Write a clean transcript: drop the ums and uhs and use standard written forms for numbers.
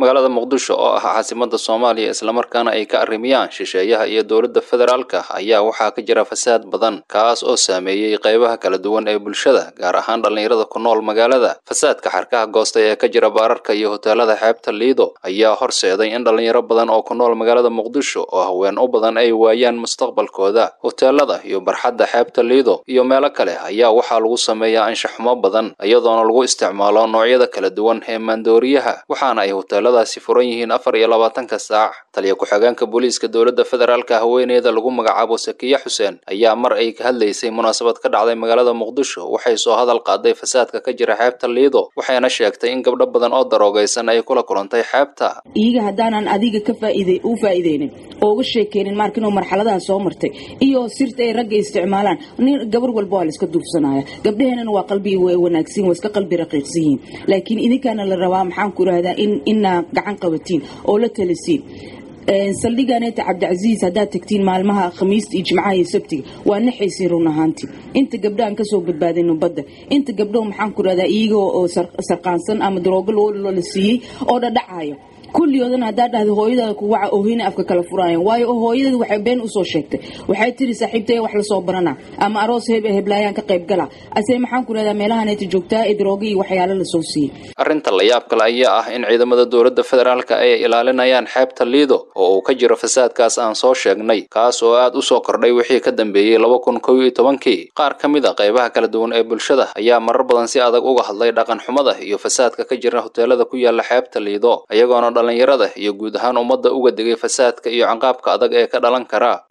Magaalada Muqdisho oo ah caasimadda Soomaaliya, islamarkaana ay ka arrimiyaan shisheeyaha iyo dowladda federaalka, ayaa waxaa ka jira fasaad badan, kaas oo saameeyey qaybaha kala duwan ee bulshada, gaar ahaan dhallinyarada ku nool magaalada. Fasaadka xarkaha goostay ee ka jira baararka iyo hoteelada xeebta Liido ayaa horseeday in dhallinyaro badan oo ku nool magaalada Muqdisho oo haween u badan ay waayaan mustaqbalkooda. Hoteelada iyo barxadda xeebta Liido iyo meelo kale ayaa waxaa lagu sameeyaa anshaxumo badan, iyadoona lagu isticmaalo noocyada kala duwan ee maandooriyaha, waxaana ay hoteeladaasi furan yihiin 24-ka saac. Taliya ku-xigeenka booliiska dowladda federaalka, haweeneyda lagu magacaabo Sakiya Xuseen, ayaa mar ay ka hadlaysay munaasabad ka dhacday magaalada Muqdisho waxay soo hadal qaaday fasaadka ka jira xeebta Liido, waxayna sheegtay in gabdho badan oo daroogaysan ay kula kulantay xeebta. Iyaga haddaanan adiga ka faa'iide u faa'iideynin oo uga sheekeynin marka inuu marxaladaha soo martay iyo sirta ay ragga isticmaalaan, nin gabar walba waa la iska duufsanaya. Gabdhaheenana waa qalbi wanaagsan, waa iska qalbi raqiiqsan yihiin, laakiin idinkaana la rabaa, maxaan ku rahdaa, in inaa gacan qabatiin oo la talisiin. Saldhiganeeta Cabdicasiis haddaad tagtiin maalmaha Khamiista iyo Jimcaha iyo Sabtiga, waa naxaysiin run ahaantii inta gabdhahan kasoo badbaadino badda, inta gabdho, maxaan ku rahdaa, iyagoo oo sarqaansan ama daroogo loo la siiyey oo dhadhacayo kulligoodana. Haddaa dhahda hooyadaada ku waca, oohina afka kala furaayan, waayo hooyadeeda waxay been usoo sheegtay, waxay tiri saaxiibtay wax lasoo barana ama aroos heblaayaan ka qayb gala, ase maxaan ku rahdaa meelahaneeta joogtaa ee daroogo iyo waxyaalo lasoo siiyey. Arrinta la yaab kale ayaa ah in ciidamada dowladda federaalka ay ilaalinayaan xeebta Liido oo uu ka jiro fasaadkaas aan soo sheegnay, kaas oo aad u soo kordhay wixii ka dambeeyey 2011-kii. Qaar ka mid a qaybaha kala duwan ee bulshada ayaa marar badan si adag uga hadlay dhaqan xumada iyo fasaadka ka jira hoteelada ku yaala xeebta Liido, iyagoona dhallinyarada iyo guud ahaan ummadda uga digay fasaadka iyo canqaabka adag ee ka dhalan kara.